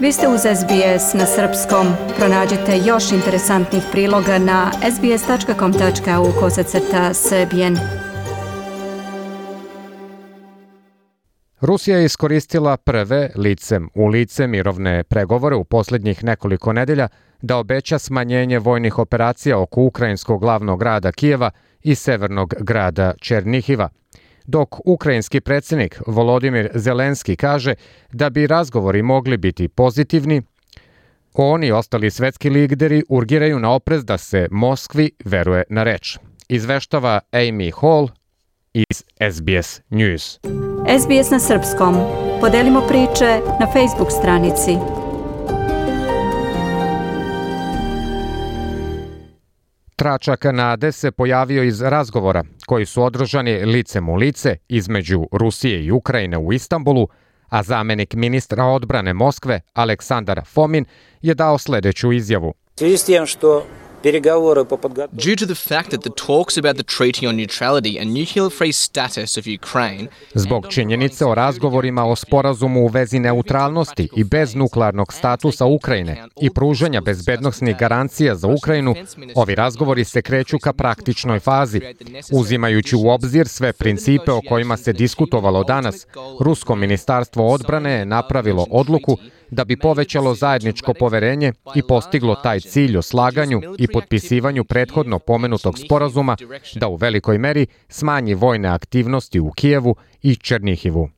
Vi ste uz SBS na srpskom. Pronađite još interesantnih priloga na sbs.com.au/srbijen. Rusija je iskoristila prve licem u lice mirovne pregovore u posljednjih nekoliko nedelja da obeća smanjenje vojnih operacija oko ukrajinskog glavnog grada Kijeva i severnog grada Černihiva. Dok ukrajinski predsjednik Volodimir Zelenski kaže da bi razgovori mogli biti pozitivni, oni i ostali svetski lideri urgiraju na oprez da se Moskvi veruje na reč. Izveštava Amy Hall iz SBS News. SBS na srpskom. Podelimo priče na Facebook stranici. Tračak nade se pojavio iz razgovora koji su održani licem u lice između Rusije i Ukrajine u Istanbulu, a zamjenik ministra odbrane Moskve Aleksandar Fomin je dao sljedeću izjavu. Due to the fact that the talks about the treaty on neutrality and nuclear-free status of Ukraine, Zbog činjenice o razgovorima o sporazumu u vezi neutralnosti i bez nuklearnog statusa Ukrajine i pružanja bezbednosnih garancija za Ukrajinu, ovi razgovori se kreću ka praktičnoj fazi. Uzimajući u obzir sve principe o kojima se diskutovalo danas, Rusko ministarstvo odbrane je napravilo odluku da bi povećalo zajedničko poverenje i postiglo taj cilj o slaganju i potpisivanju prethodno pomenutog sporazuma da u velikoj meri smanji vojne aktivnosti u Kijevu i Černihivu.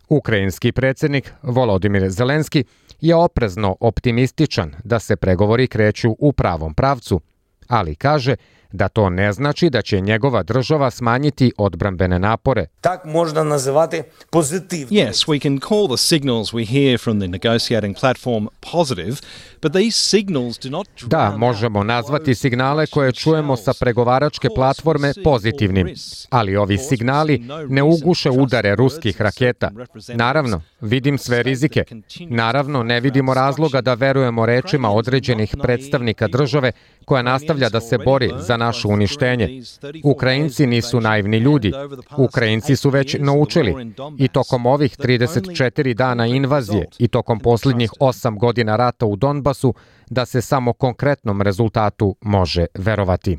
Ukrajinski predsjednik Volodimir Zelenski je oprezno optimističan da se pregovori kreću u pravom pravcu, ali kaže da to ne znači da će njegova država smanjiti odbrambene napore. Так можна називати позитивним. Yes, we can call the signals we hear from the negotiating platform positive, but these signals do not Da, možemo nazvati signale koje čujemo sa pregovaračke platforme pozitivnim, ali ovi signali ne uguše udare ruskih raketa. Naravno, vidim sve rizike. Naravno, ne vidimo razloga da verujemo rečima određenih predstavnika države koja nastavlja da se bori za naše uništenje. Ukrajinci nisu naivni ljudi. Ukrajinci su već naučili i tokom ovih 34 dana invazije i tokom posljednjih 8 godina rata u Donbasu da se samo konkretnom rezultatu može verovati.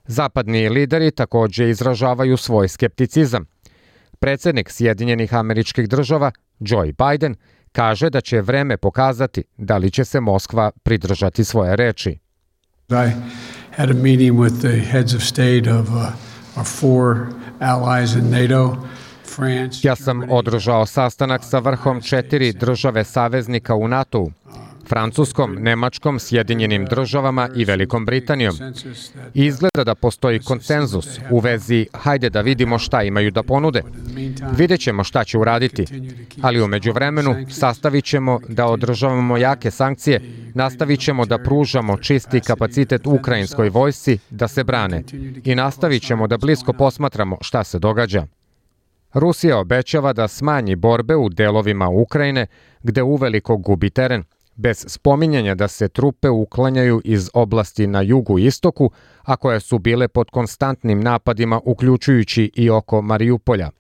Zapadni lideri također izražavaju svoj skepticizam. Predsjednik Sjedinjenih Američkih Država, Joe Biden, kaže da će vreme pokazati da li će se Moskva pridržati svoje reči. I had a meeting with the heads of state of our four allies in NATO. Ja sam održao sastanak sa vrhom 4 države saveznika u NATO-u, Francuskom, Nemačkom, Sjedinjenim Državama i Velikom Britanijom. Izgleda da postoji konsenzus u vezi hajde da vidimo šta imaju da ponude. Vidjet ćemo šta će uraditi, ali u međuvremenu sastavit ćemo da održavamo jake sankcije, nastavit ćemo da pružamo čisti kapacitet ukrajinskoj vojsci da se brane i nastavit ćemo da blisko posmatramo šta se događa. Rusija obećava da smanji borbe u delovima Ukrajine gde uveliko gubi teren, bez spominjanja da se trupe uklanjaju iz oblasti na jugu i istoku, a koje su bile pod konstantnim napadima uključujući i oko Mariupolja.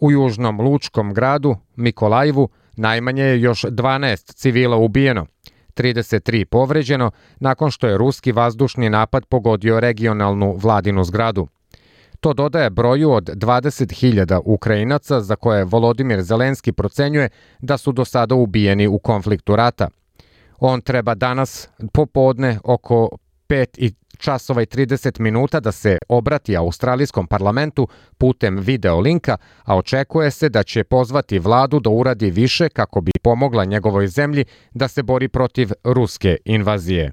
U južnom lučkom gradu Mikolajivu najmanje je još 12 civila ubijeno, 33 povređeno nakon što je ruski vazdušni napad pogodio regionalnu vladinu zgradu. To dodaje broju od 20.000 Ukrajinaca za koje Volodimir Zelenski procenjuje da su do sada ubijeni u konfliktu rata. On treba danas popodne oko 5:30 da se obrati australijskom parlamentu putem video linka, a očekuje se da će pozvati vladu da uradi više kako bi pomogla njegovoj zemlji da se bori protiv ruske invazije.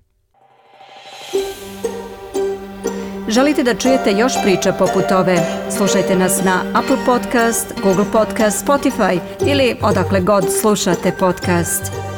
Želite da čujete još priča poput ove? Slušajte nas na Apple Podcast, Google Podcast, Spotify ili odakle god slušate podcast.